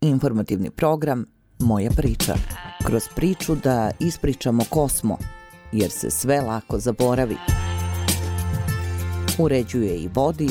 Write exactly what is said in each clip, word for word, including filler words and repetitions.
Informativni program Moja priča. Kroz priču da ispričamo ko smo, jer se sve lako zaboravi. Uređuje i vodi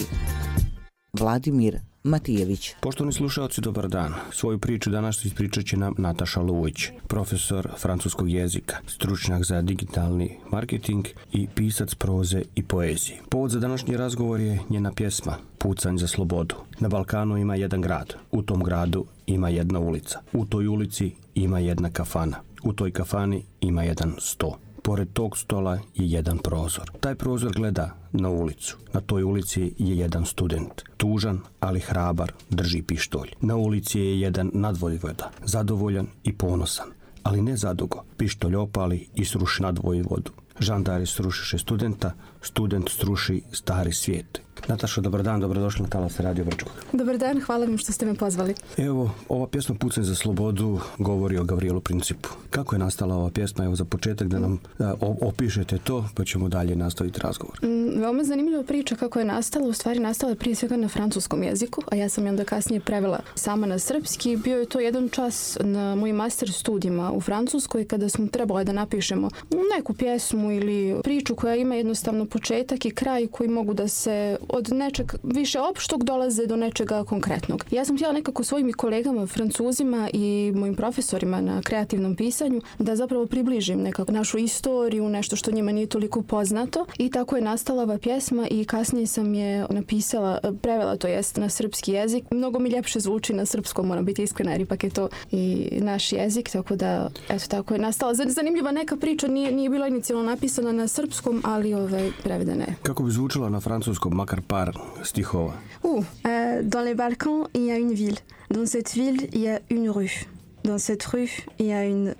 Vladimir Matijević. Poštovani slušalci, dobar dan. Svoju priču danas ispričat će nam Nataša Lujić, profesor francuskog jezika, stručnjak za digitalni marketing i pisac proze i poezije. Povod za današnji razgovor je njena pjesma Pucanj za slobodu. Na Balkanu ima jedan grad. U tom gradu ima jedna ulica. U toj ulici ima jedna kafana. U toj kafani ima jedan sto. Pored tog stola je jedan prozor. Taj prozor gleda na ulicu. Na toj ulici je jedan student. Tužan, ali hrabar, drži pištolj. Na ulici je jedan nadvojvoda. Zadovoljan i ponosan, ali ne zadugo. Pištolj opali i sruši nadvojvodu. Žandari srušiše studenta, student sruši stari svijet. Nataša, dobar dan, dobrodošli na Talas Radio Brčkog. Dobar dan, hvala vam što ste me pozvali. Evo, ova pjesma Pucanj za slobodu govori o Gavrielu Principu. Kako je nastala ova pjesma? Evo, za početak da nam da, opišete to, pa ćemo dalje nastaviti razgovor. Mm, veoma zanimljiva priča kako je nastala. U stvari nastala je prije svega na francuskom jeziku, a ja sam je onda kasnije prevela sama na srpski. Bio je to jedan čas na mojim master studijima u Francuskoj kada smo trebali da napišemo neku pjesmu ili priču koja ima jednostavno početak i kraj koji mogu da se od nečeg više opštog dolaze do nečega konkretnog. Ja sam htjela nekako svojim kolegama Francuzima i mojim profesorima na kreativnom pisanju da zapravo približim nekako našu istoriju, nešto što njima nije toliko poznato, i tako je nastala ova pjesma i kasnije sam je napisala, prevela to jest na srpski jezik. Mnogo mi ljepše zvuči na srpskom, moram biti iskrena, jer ipak je to i naš jezik, tako da eto tako je nastala. Zanimljiva neka priča, nije, nije bila inicijalno napisana na srpskom, ali ovaj, prevedena je. Kako bi zvučala na francuskom, makar par stihova? Uh, euh, dans les Balkans, il y a une ville. Dans cette ville, il y a une rue. Dans cette rue, il y a une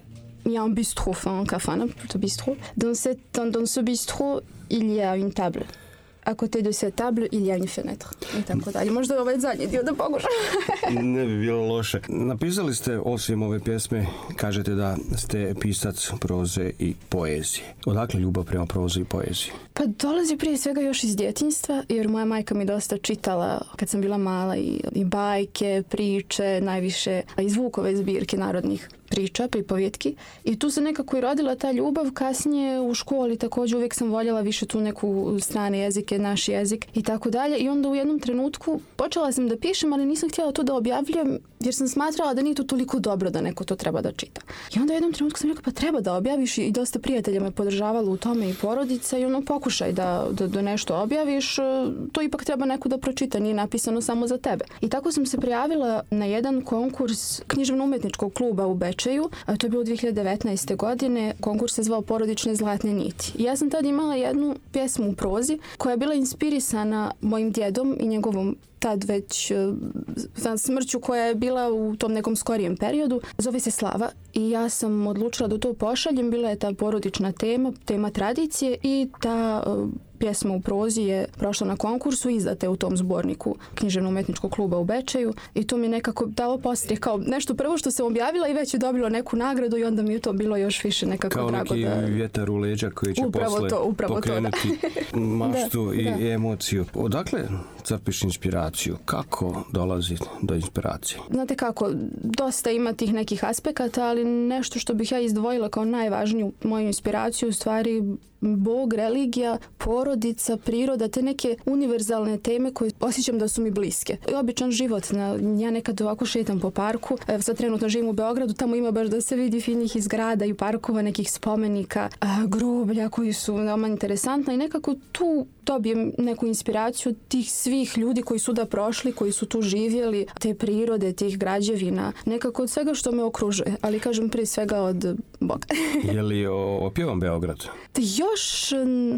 il y a un bistrot, enfin un kafana, plutôt bistrot. Dans cette dans, dans ce bistrot, il y a une table. À côté de cette table, il y a une fenêtre. I tako dalje. Možda ovaj zadnji dio da pokušam. Ne bi bilo loše. Napisali ste, osim ove pjesme, kažete da ste pisac proze i poezije. Odakle ljubav prema prozi i poeziji? Pa dolazi prije svega još iz djetinjstva, jer moja majka mi dosta čitala kad sam bila mala i, i bajke, priče, najviše i zvukove zbirke narodnih priča, pripovjetki. I tu se nekako i rodila ta ljubav. Kasnije u školi također uvijek sam voljela više tu neku strane jezike, naš jezik i tako dalje. I onda u jednom trenutku počela sam da pišem, ali nisam htjela to da objavljujem, jer sam smatrala da nije to toliko dobro da neko to treba da čita. I onda u jednom trenutku sam rekla, pa treba da objaviš, i dosta prijatelja me podržavalo u tome i porodica, i ono, pokušaj da, da, da nešto objaviš, to ipak treba neko da pročita, nije napisano samo za tebe. I tako sam se prijavila na jedan konkurs književno-umetničkog kluba u Bečeju, a to je bilo dvije hiljade devetnaeste. godine, konkurs se zvao Porodične zlatne niti. I ja sam tad imala jednu pjesmu u prozi koja je bila inspirisana mojim djedom i njegovom tad već uh, smrću koja je bila u tom nekom skorijem periodu. Zove se Slava i ja sam odlučila da to pošaljem. Bila je ta porodična tema, tema tradicije, i ta uh, pjesma u prozi je prošla na konkursu, izdate u tom zborniku književno-umetničkog kluba u Bečeju, i to mi nekako dalo postrije kao nešto prvo što sam objavila i već je dobilo neku nagradu, i onda mi je to bilo još više nekako kao drago. Kao neki da... vjetar u leđa koji će upravo posle to, pokrenuti to, maštu da, i da. emociju. Odakle crpiš inspiraciju? Kako dolazi do inspiracije? Znate kako, dosta ima tih nekih aspekata, ali nešto što bih ja izdvojila kao najvažniju moju inspiraciju, u stvari Bog, religija, porodica, priroda, te neke univerzalne teme koje osjećam da su mi bliske. I običan život. Ja nekad ovako šetam po parku, evo sad trenutno živim u Beogradu, tamo ima baš da se vidi finih i zgrada i parkova, nekih spomenika, groblja koji su veoma interesantna, i nekako tu dobijem neku inspiraciju tih svih ljudi koji su da prošli, koji su tu živjeli, te prirode, tih građevina, nekako od svega što me okružuje, ali kažem prije svega od Boga. Je li opjevan Beograd? Još,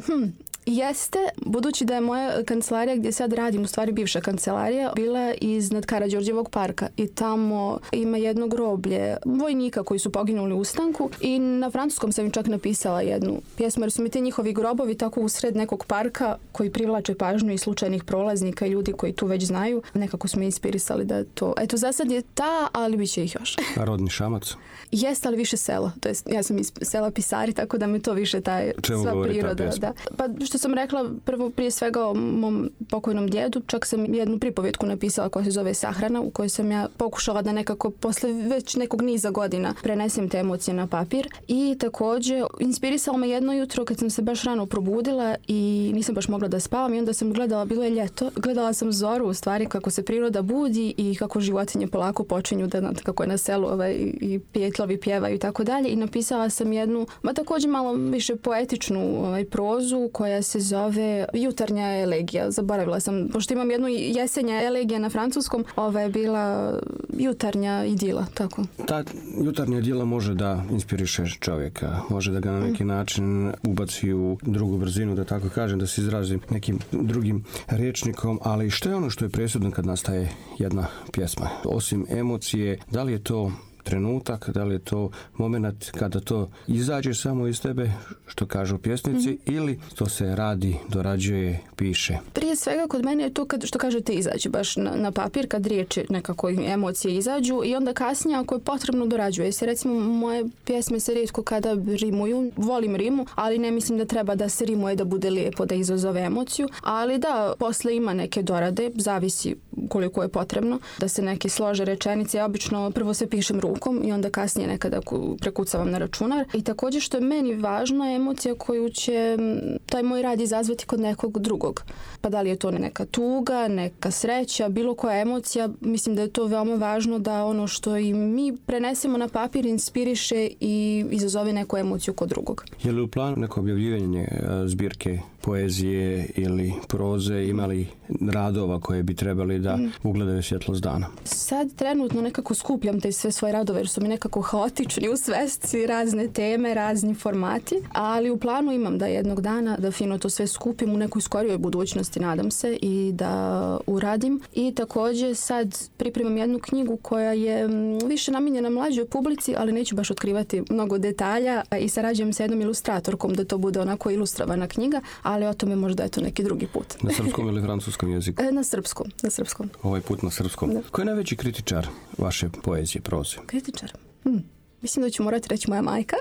hm, jeste, budući da je moja kancelarija gdje sad radim, u stvari bivša kancelarija, bila iznad Karađorđevog parka, i tamo ima jedno groblje vojnika koji su poginuli u ustanku, i na francuskom sam im čak napisala jednu pjesmu, jer su mi te njihovi grobovi tako usred nekog parka koji privlače pažnju i slučajnih prolaznika i ljudi koji tu već znaju. Nekako smo inspirisali da to, eto, za sad je ta, ali bit će ih još. A rodni Šamac? Jeste, ali više selo. To jest, ja sam iz sela Pisari, tako da me to više taj čemu sva govori priroda. Ta pjesma? Da. Pa što sam rekla prvo prije svega o mom pokojnom djedu, čak sam jednu pripovjetku napisala koja se zove Sahrana, u kojoj sam ja pokušala da nekako posle već nekog niza godina prenesem te emocije na papir. I također inspirisalo me jedno jutro kad sam se baš rano probudila i nisam baš mogla da spavam i onda sam gledala, bilo je ljeto, gledala sam zoru u stvari kako se priroda budi i kako životinje polako počinju da, kako je na selu ovaj, i pijetlovi pjevaju i tako dalje, i napisala sam jednu, ma također malo više poetičnu ovaj, prozu koja se zove Jutarnja elegija. Zaboravila sam, pošto imam jednu jesenja elegija na francuskom, ova je bila jutarnja idila, tako. Ta jutarnja idila može da inspiriše čovjeka, može da ga na neki način ubaci u drugu brzinu, da tako kažem, da se izrazim nekim drugim rječnikom, ali što je ono što je presudno kad nastaje jedna pjesma? Osim emocije, da li je to trenutak, da li je to moment kada to izađe samo iz tebe, što kažu pjesnici, mm-hmm. ili to se radi, dorađuje, piše? Prije svega kod mene je to kad, što kažete, izađe baš na, na papir, kad riječi nekako emocije izađu, i onda kasnije ako je potrebno dorađuje se. Recimo moje pjesme se rijetko kada rimuju, volim rimu, ali ne mislim da treba da se rimuje da bude lijepo, da izazove emociju, ali da, posle ima neke dorade, zavisi koliko je potrebno, da se neke slože rečenice. Ja obično prvo se pišem rukom i onda kasnije nekada prekucavam na računar. I također što je meni važno je emocija koju će taj moj rad izazvati kod nekog drugog. Pa da li je to neka tuga, neka sreća, bilo koja emocija, mislim da je to veoma važno da ono što i mi prenesemo na papir inspiriše i izazove neku emociju kod drugog. Je li u planu neko objavljivanje zbirke poezije ili proze, imali radova koje bi trebali da ugledaju svjetlost dana? Sad trenutno nekako skupljam te sve svoje radove jer su mi nekako haotični u svesci, razne teme, razni formati, ali u planu imam da jednog dana da fino to sve skupim u nekoj skorijoj budućnosti, nadam se, i da uradim. I također sad pripremam jednu knjigu koja je više namijenjena mlađoj publici, ali neću baš otkrivati mnogo detalja, i sarađujem sa jednom ilustratorkom da to bude onako ilustrovana knjiga, ali o tome možda je to neki drugi put. Na srpskom ili francuskom jeziku? E, na srpskom, na srpskom. Ovaj put na srpskom. Da. Ko je najveći kritičar vaše poezije, proze? Kritičar? Hmm. Mislim da ću morati reći moja majka,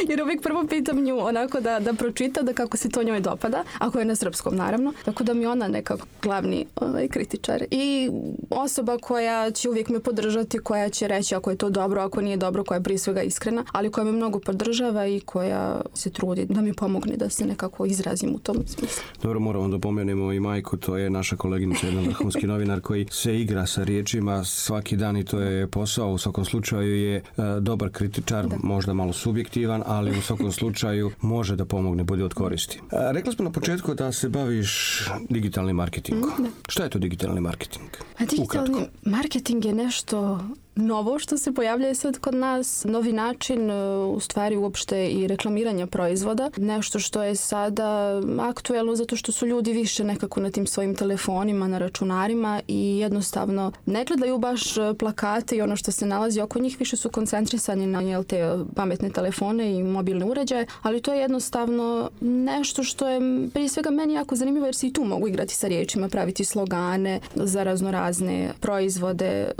jer uvijek prvo pitam nju onako da, da pročita, da kako se to njoj dopada, ako je na srpskom naravno, tako da mi ona nekako glavni ovaj, kritičar. I osoba koja će uvijek me podržati, koja će reći ako je to dobro, ako nije dobro, koja je prije svega iskrena, ali koja me mnogo podržava i koja se trudi da mi pomogne da se nekako izrazim u tom smislu. Dobro, moramo da pomenemo i majku, to je naša koleginica, jedan vrhunski novinar koji se igra sa riječima svaki dan i to je posao, u svakom slučaju je dobar kritičar, da. Možda malo subjektivan, ali u svakom slučaju može da pomogne, bude od koristi. Rekli smo na početku da se baviš digitalnim marketingom. Da. Šta je to digitalni marketing? A digitalni Ukratko. Marketing je nešto novo što se pojavljuje sad kod nas, novi način u stvari uopšte i reklamiranja proizvoda, nešto što je sada aktuelno zato što su ljudi više nekako na tim svojim telefonima, na računarima i jednostavno ne gledaju baš plakate i ono što se nalazi oko njih, više su koncentrisani na jel, te pametne telefone i mobilne uređaje, ali to je jednostavno nešto što je prije svega meni jako zanimljivo jer se i tu mogu igrati sa riječima, praviti slogane za razno razne proizvode,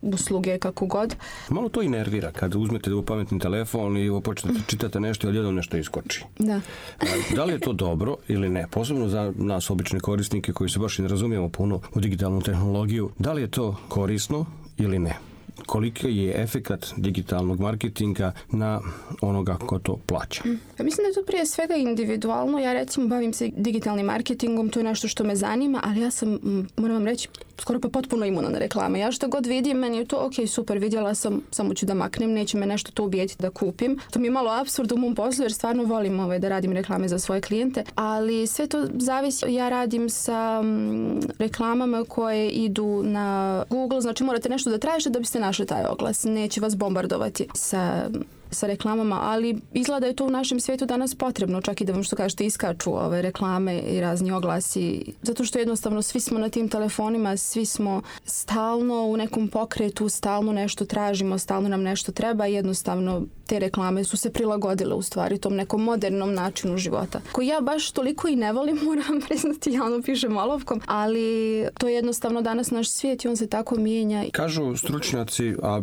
usluge, kako god. Malo to i nervira kad uzmete u pametni telefon i počnete čitati nešto i odjednom nešto iskoči. Da. Da li je to dobro ili ne? Posebno za nas obične korisnike koji se baš i ne razumijemo puno u digitalnu tehnologiju. Da li je to korisno ili ne? Koliki je efekat digitalnog marketinga na onoga ko to plaća? Ja mislim da je to prije svega individualno. Ja recimo bavim se digitalnim marketingom, to je nešto što me zanima, ali ja sam, moram vam reći, skoro pa potpuno imuna na reklame. Ja što god vidim, meni je to ok, super, vidjela sam, samo ću da maknem, neće me nešto to ubijeti da kupim. To mi je malo apsurd u mom poslu jer stvarno volim ovaj, da radim reklame za svoje klijente, ali sve to zavisi. Ja radim sa m, reklamama koje idu na Google, znači morate nešto da tražite da biste našli taj oglas. Neće vas bombardovati sa sa reklamama, ali izgleda da je to u našem svijetu danas potrebno, čak i da vam što kažete iskaču ove reklame i razni oglasi, zato što jednostavno svi smo na tim telefonima, svi smo stalno u nekom pokretu, stalno nešto tražimo, stalno nam nešto treba i jednostavno te reklame su se prilagodile u stvari tom nekom modernom načinu života, koji ja baš toliko i ne volim, moram priznati, ja ono pišem olovkom, ali to je jednostavno danas naš svijet i on se tako mijenja. Kažu stručnjaci, a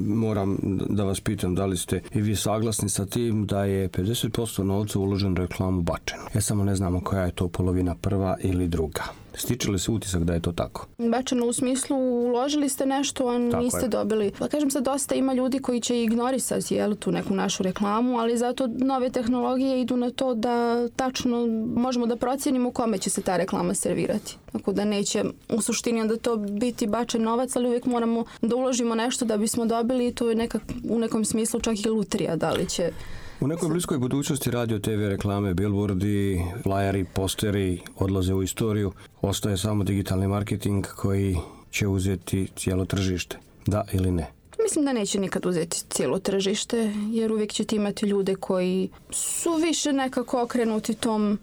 moram da vas pitam da li ste ste i vi saglasni sa tim da je pedeset posto novca uložen u reklamu bačeno. Ja samo ne znamo koja je to polovina, prva ili druga. Stiče li se utisak da je to tako? Bačeno u smislu uložili ste nešto, a niste dobili. Pa kažem sad, dosta ima ljudi koji će ignorisati jel, tu neku našu reklamu, ali zato nove tehnologije idu na to da tačno možemo da procijenimo kome će se ta reklama servirati. Tako da neće u suštini onda to biti bačen novac, ali uvijek moramo da uložimo nešto da bismo dobili i to je nekak, u nekom smislu čak i lutrija da li će... U nekoj bliskoj budućnosti radio, te ve reklame, billboardi, flyeri, posteri odlaze u istoriju. Ostaje samo digitalni marketing koji će uzeti cijelo tržište. Da ili ne? Mislim da neće nikad uzeti cijelo tržište, jer uvijek ćete imati ljude koji su više nekako okrenuti tom,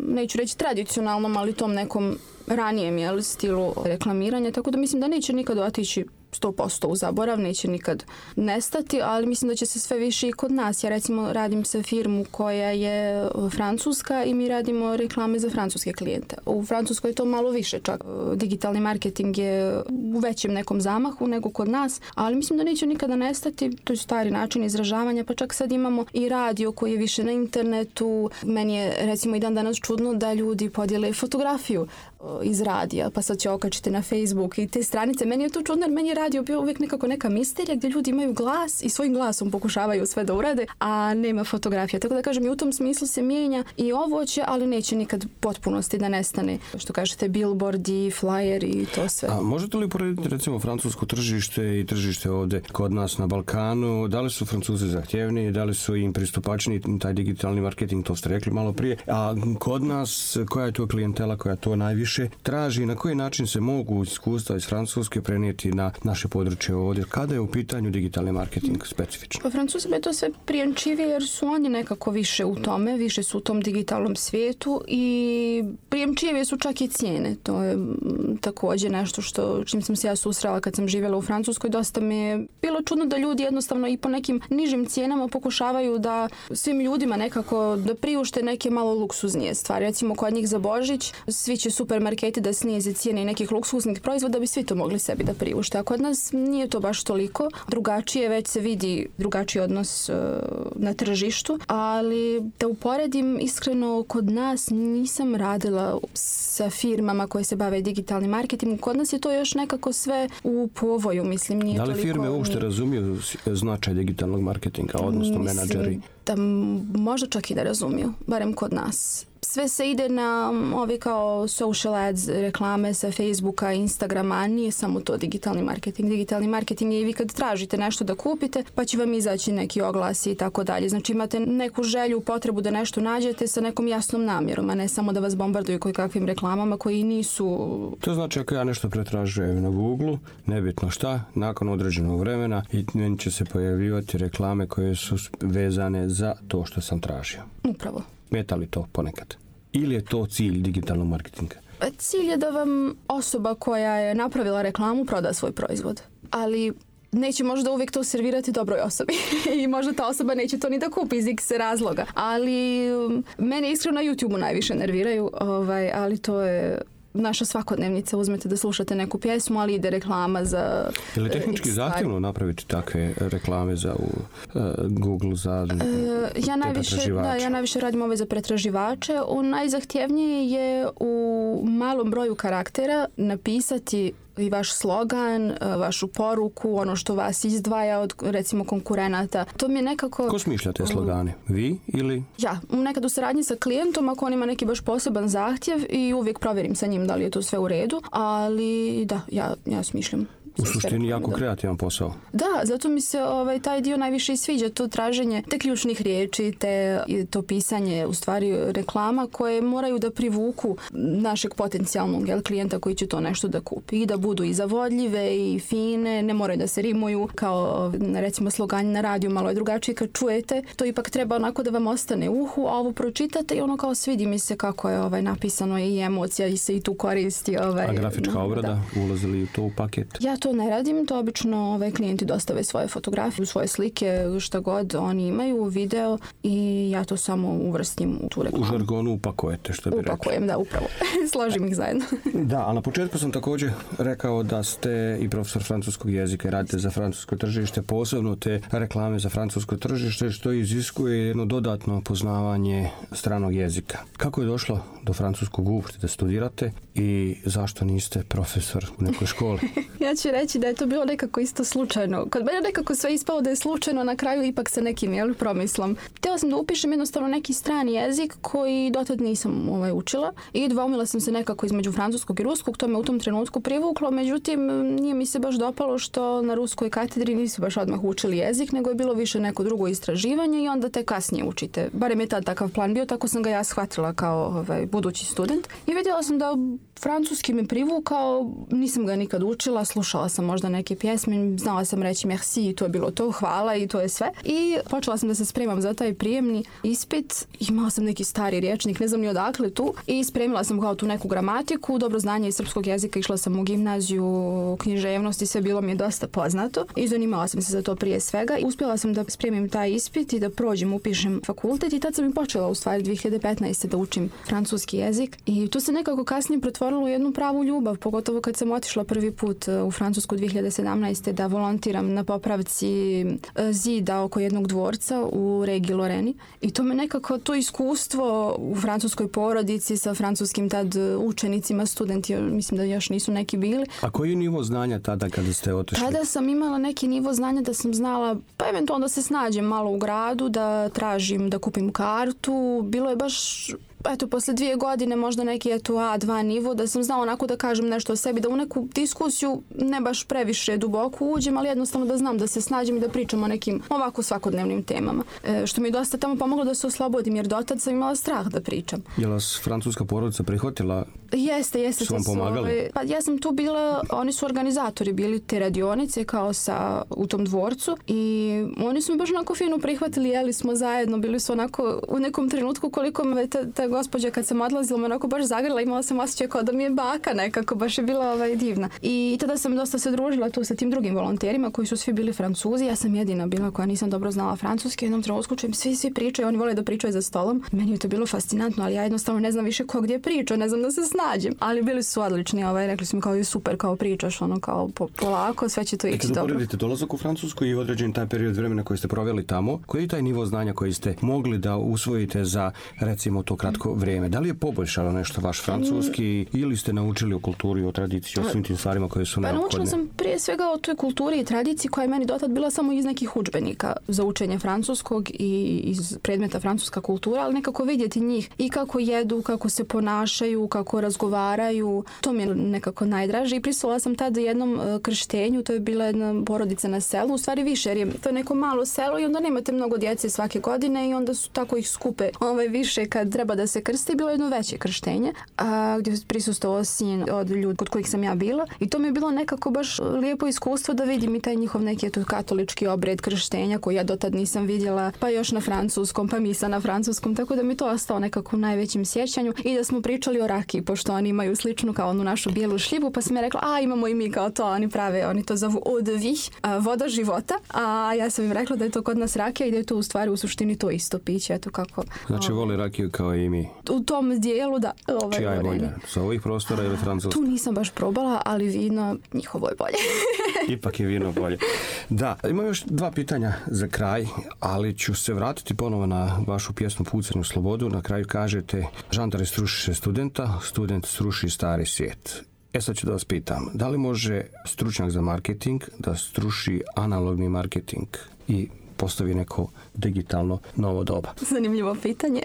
neću reći tradicionalnom, ali tom nekom ranijem jel, stilu reklamiranja. Tako da mislim da neće nikad otići sto posto u zaborav, neće nikad nestati, ali mislim da će se sve više i kod nas. Ja recimo radim sa firmu koja je francuska i mi radimo reklame za francuske klijente. U Francuskoj je to malo više čak. Digitalni marketing je u većem nekom zamahu nego kod nas, ali mislim da neće nikada nestati. To je stari način izražavanja, pa čak sad imamo i radio koji je više na internetu. Meni je recimo i dan danas čudno da ljudi podijele fotografiju iz radija, pa sad će okačiti na Facebook i te stranice. Meni je to čudno, jer meni je radio bio uvijek nekako neka misterija gdje ljudi imaju glas i svojim glasom pokušavaju sve da urade, a nema fotografija. Tako da kažem, i u tom smislu se mijenja i ovo će, ali neće nikad potpunosti da nestane. Što kažete, billboardi, flyeri i to sve. A možete li uporediti recimo francusko tržište i tržište ovdje kod nas na Balkanu? Da li su Francuzi zahtjevniji, da li su im pristupačniji taj digitalni marketing, to ste rekli malo prije, a kod nas koja je to klijentela koja to najviše traži, na koji način se mogu iskustva iz Francuske prenijeti na naše područje ovdje, kada je u pitanju digitalni marketing specifično? Pa Francuzima je to sve prijemčivije jer su oni nekako više u tome, više su u tom digitalnom svijetu i prijemčivije su čak i cijene. To je također nešto što čim sam se ja susrela kad sam živjela u Francuskoj, dosta mi je bilo čudno da ljudi jednostavno i po nekim nižim cijenama pokušavaju da svim ljudima nekako da priušte neke malo luksuznije stvari. Recimo kod njih za Božić svi će supermarketi da snize cijene i nekih luksuznih proizvoda da bi svi to mogli sebi da priušte. A kod nas nije to baš toliko. Drugačije, već se vidi drugačiji odnos uh, na tržištu, ali da uporedim iskreno, kod nas nisam radila sa firmama koje se bave digitalnim marketingom. Kod nas je to još nekako sve u povoju, mislim, nije toliko... Da li toliko... firme uopšte razumiju značaj digitalnog marketinga, odnosno mislim, menadžeri? Da možda čak i da razumiju, barem kod nas. Sve se ide na ove kao social ads, reklame sa Facebooka, Instagrama, a nije samo to digitalni marketing. Digitalni marketing je i vi kad tražite nešto da kupite, pa će vam izaći neki oglasi i tako dalje. Znači imate neku želju, potrebu da nešto nađete sa nekom jasnom namjerom, a ne samo da vas bombarduju koji kakvim reklamama koji nisu... To znači ako ja nešto pretražujem na Google, nebitno šta, nakon određenog vremena i meni će se pojavljivati reklame koje su vezane za to što sam tražio. Upravo. Smeta li to ponekad? Ili je to cilj digitalnog marketinga? Cilj je da vam osoba koja je napravila reklamu proda svoj proizvod. Ali neće možda uvijek to servirati dobroj osobi. I možda ta osoba neće to ni da kupi iz x razloga. Ali mene iskreno na YouTubeu najviše nerviraju, ovaj, ali to je... naša svakodnevnica, uzmete da slušate neku pjesmu, ali ide reklama za... Je li tehnički uh, zahtjevno napraviti takve reklame za u, uh, Google, za uh, ja najviše, da, ja najviše radim ove za pretraživače. U najzahtjevnije je u malom broju karaktera napisati i vaš slogan, vašu poruku, ono što vas izdvaja od recimo konkurenata. To mi je nekako... Ko smišlja te slogane? Vi ili? Ja, nekad u saradnji sa klijentom ako on ima neki baš poseban zahtjev i uvijek provjerim sa njim da li je to sve u redu, ali da, ja, ja smišljam. U suštini jako kreativan posao. Da, zato mi se ovaj, taj dio najviše i sviđa, to traženje te ključnih riječi, te, to pisanje u stvari reklama koje moraju da privuku našeg potencijalnog jel, klijenta koji će to nešto da kupi i da budu i zavodljive i fine, ne moraju da se rimuju kao recimo slogani na radiju, malo je drugačije kad čujete, to ipak treba onako da vam ostane u uhu, a ovo pročitate i ono kao svidi mi se kako je ovaj, napisano i emocija i se i tu koristi. Ovaj, a grafička no, obrada, ulazili u to u paket? Ja to ne radim, to obično ovaj, klijenti dostave svoje fotografije, svoje slike, šta god oni imaju, video i ja to samo uvrstim u tu reklamu. U žargonu upakujete, što bi rekli. Upakujem, da, upravo. Složim ih zajedno. Da, ali na početku sam također rekao da ste i profesor francuskog jezika i radite za francusko tržište, posebno te reklame za francusko tržište, što iziskuje jedno dodatno poznavanje stranog jezika. Kako je došlo do francuskog uopšte da studirate i zašto niste profesor u nekoj školi? Ja ću reći da je to bilo nekako isto slučajno. Kod mene nekako sve ispalo da je slučajno, na kraju ipak sa nekim jel, promislom. Htjela sam da upišem jednostavno neki strani jezik koji dotad nisam ovaj, učila i dvoumila sam se nekako između francuskog i ruskog, to me u tom trenutku privuklo, međutim nije mi se baš dopalo što na ruskoj katedri nisu baš odmah učili jezik, nego je bilo više neko drugo istraživanje i onda te kasnije učite. Barem je tad takav plan bio, tako sam ga ja shvatila kao ovaj, budući student. I vidjela sam da francuski me privukao, nisam ga nikad učila, slušala sam možda neke pjesme, znala sam reći merci i to je bilo to, hvala i to je sve. I počela sam da se spremam za taj prijemni ispit, imala sam neki stari rječnik, ne znam ni odakle tu, i spremila sam kao tu neku gramatiku, dobro znanje iz srpskog jezika, išla sam u gimnaziju, književnost i sve bilo mi je dosta poznato i zanimala sam se za to prije svega. I uspjela sam da spremim taj ispit i da prođem, upišem fakultet i tad sam i počela u stvari dvije hiljade petnaeste. da učim francuski jezik i to se nekako kasnije pretvorilo u jednu pravu ljubav, pogotovo kad sam otišla prvi put u Francusku dvije hiljade sedamnaeste. da volontiram na popravci zida oko jednog dvorca u regiji Loreni i to me nekako, to iskustvo u francuskoj porodici sa francuskim tad učenicima, studenti, mislim da još nisu neki bili. A koji je nivo znanja tada kada ste otišli? Tada sam imala neki nivo znanja da sam znala, pa eventualno da se snađem malo u gradu, da tražim, da kupim kartu. Bilo je baš, eto, posle dvije godine možda neki eto A dva nivo, da sam znala onako da kažem nešto o sebi, da u neku diskusiju ne baš previše duboko uđem, ali jednostavno da znam da se snađem i da pričam o nekim ovako svakodnevnim temama. E, što mi je dosta tamo pomoglo da se oslobodim, jer dotad sam imala strah da pričam. Je li vas francuska porodica prihvatila? Jeste, jeste. Su vam pomagali? Pa ja sam tu bila, oni su organizatori bili te radionice kao sa, u tom dvorcu i oni su mi baš onako fino prihvatili, jeli smo zajedno, bili su onako u nekom trenutku koliko me ta, ta gospođa kad sam odlazila me onako baš zagrila, imala sam osjećaj kao da mi je baka nekako, baš je bila ovaj, divna. I tada sam dosta se družila tu sa tim drugim volonterima koji su svi bili Francuzi, ja sam jedina bila koja nisam dobro znala francuski, jednom trenutku čujem svi svi pričaju, oni vole da pričaju za stolom. Meni je to bilo fascinantno, ali ja jednostavno ne znam više ko gdje priča, ne znam da se snađem. Ali bili su odlični, ovaj, rekli su mi kao je super, kao pričaš, ono kao po, polako, sve će to ići dobro. Kad uporedite dolazak u Francusku i određen taj period vremena koji ste proveli tamo, koji je taj nivo znanja koji ste mogli da usvojite za recimo to kratko vrijeme? Da li je poboljšalo nešto vaš francuski mm. ili ste naučili o kulturi, o tradiciji, o svim tim stvarima koje su neophodne? Pa naučila sam prije svega o toj kulturi i tradiciji koja je meni dotad bila samo iz nekih udžbenika za učenje francuskog i iz predmeta francuska kultura, ali nekako vidjeti njih i kako jedu, kako se ponašaju, kako razgovaraju, to mi je nekako najdraže i prisustvovala sam tada jednom krštenju, to je bila jedna porodica na selu, u stvari više, jer je to je neko malo selo i onda nemate mnogo djece svake godine i onda su tako ih skupe ovaj, više kad treba da se krste. Bilo jedno veće krštenje a, gdje je prisustvovao sin od ljudi kod kojih sam ja bila i to mi je bilo nekako baš lijepo iskustvo da vidim i taj njihov neki eto, katolički obred krštenja koji ja dotad nisam vidjela, pa još na francuskom, pa misa na francuskom, tako da mi to ostao nekako u najvećem sjećanju i da smo pričali o rakiji, pošto oni imaju sličnu kao onu našu bijelu šljivu, pa sam ja rekla, a imamo i mi kao to, oni prave, oni to zovu eau de vie, voda života, a ja sam im rekla da je to kod nas rakija i da je to u stvari u suštini to isto piće, eto kako. Znači voli rakiju kao i mi. U tom dijelu, da. Ovaj, čija je bolja? Sa ovih prostora ili francuska? Tu nisam baš probala, ali vino njihovo je bolje. Ipak je vino bolje. Da, imam još dva pitanja za kraj, ali ću se vratiti ponovo na vašu pjesmu Pucanj u slobodu. Na kraju kažete, žandar struši studenta, student struši stari svijet. E sad ću da vas pitam, da li može stručnjak za marketing da struši analogni marketing i postavi neko digitalno novo doba? Zanimljivo pitanje.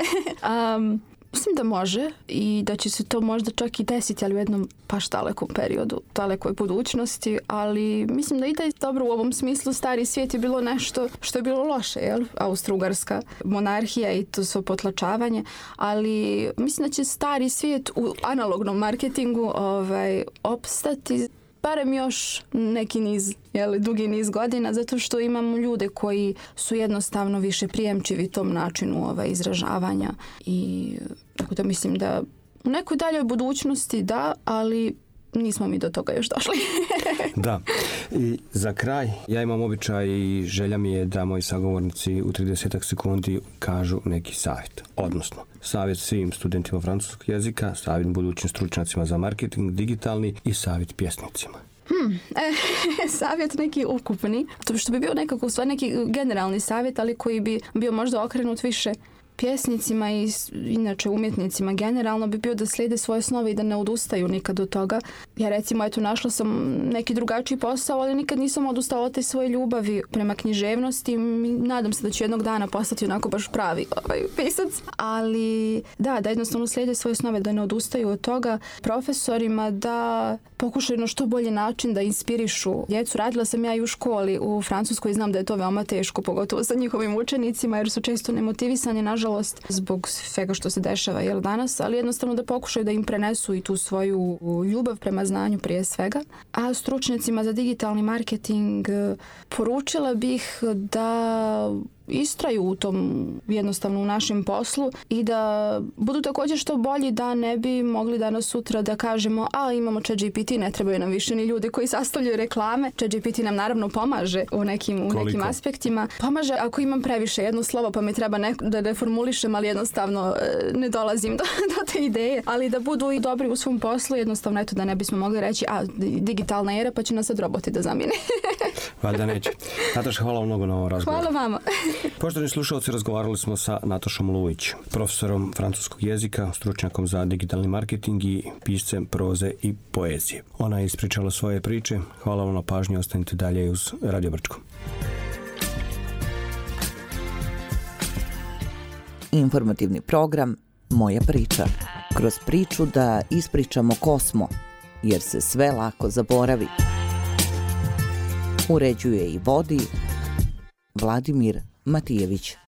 um, Mislim da može i da će se to možda čak i desiti, ali u jednom baš dalekom periodu, dalekoj budućnosti, ali mislim da ide dobro u ovom smislu. Stari svijet je bilo nešto što je bilo loše, jel? Austro-Ugarska monarhija i to svo potlačavanje, ali mislim da će stari svijet u analognom marketingu ovaj, opstati barem još neki niz, jeli, dugi niz godina, zato što imamo ljude koji su jednostavno više prijemčivi tom načinu ovaj, izražavanja i tako da mislim da u nekoj daljoj budućnosti da, ali nismo mi do toga još došli. Da. I za kraj, ja imam običaj i želja mi je da moji sagovornici u trideset sekundi kažu neki savjet. Odnosno, savjet svim studentima francuskog jezika, savjet budućim stručnjacima za marketing, digitalni i savjet pjesnicima. Hmm, e, savjet neki ukupni, to što bi bio nekako stvar neki generalni savjet, ali koji bi bio možda okrenut više pjesnicima i inače umjetnicima generalno bi bio da slijede svoje snove i da ne odustaju nikad od toga. Ja recimo, eto, našla sam neki drugačiji posao, ali nikad nisam odustala od te svoje ljubavi prema književnosti. Nadam se da ću jednog dana postati onako baš pravi ovaj, pisac. Ali da, da jednostavno slijede svoje snove, da ne odustaju od toga. Profesorima da pokušaju na što bolji način da inspirišu djecu. Radila sam ja i u školi u Francuskoj i znam da je to veoma teško, pogotovo sa njihovim učenicima, jer su često nemotivisani, nažalost, zbog svega što se dešava jel, danas, ali jednostavno da pokušaju da im prenesu i tu svoju ljubav prema znanju prije svega. A stručnjacima za digitalni marketing poručila bih da istraju u tom jednostavno u našem poslu i da budu također što bolji, da ne bi mogli danas sutra da kažemo a imamo ChatGPT, ne trebaju nam više ni ljudi koji sastavljaju reklame. ChatGPT nam naravno pomaže u nekim, u nekim aspektima. Pomaže ako imam previše jedno slovo pa mi treba ne, da reformulišem, ali jednostavno ne dolazim do, do te ideje, ali da budu i dobri u svom poslu, jednostavno eto da ne bismo mogli reći a digitalna era pa će nas sad roboti da zamijene. Valjda neće. Nataša, hvala mnogo na ovom razgovoru. Hvala vama. Poštovani slušalci, razgovarali smo sa Natašom Lujić, profesorom francuskog jezika, stručnjakom za digitalni marketing i piscem proze i poezije. Ona je ispričala svoje priče. Hvala vam na pažnji, ostanite dalje uz Radio Brčko. Informativni program Moja priča. Kroz priču da ispričamo ko smo, jer se sve lako zaboravi. Uređuje i vodi Vladimir Matijević.